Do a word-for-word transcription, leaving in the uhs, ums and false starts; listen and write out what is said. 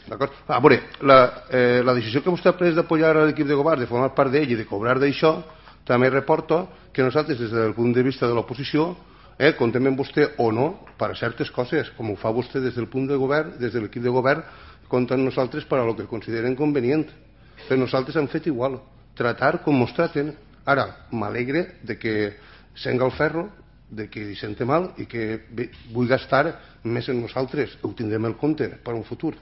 d'acord? A veure, la, eh, la decisió que vostè ha pres d'apoyar l'equip de govern, de formar part d'ell i de cobrar d'això, també reporta que nosaltres, des del punt de vista de l'oposició, eh, contem amb vostè o no per a certes coses, com ho fa vostè des del punt de govern, des de l'equip de govern, compten nosaltres per a lo que consideren convenient. Però nosaltres hem fet igual, tratar com ens traten. Ara, m'alegre de que senga el ferro, de que hi sente mal i que vull gastar més en nosaltres. Ho tindrem en compte per un futur.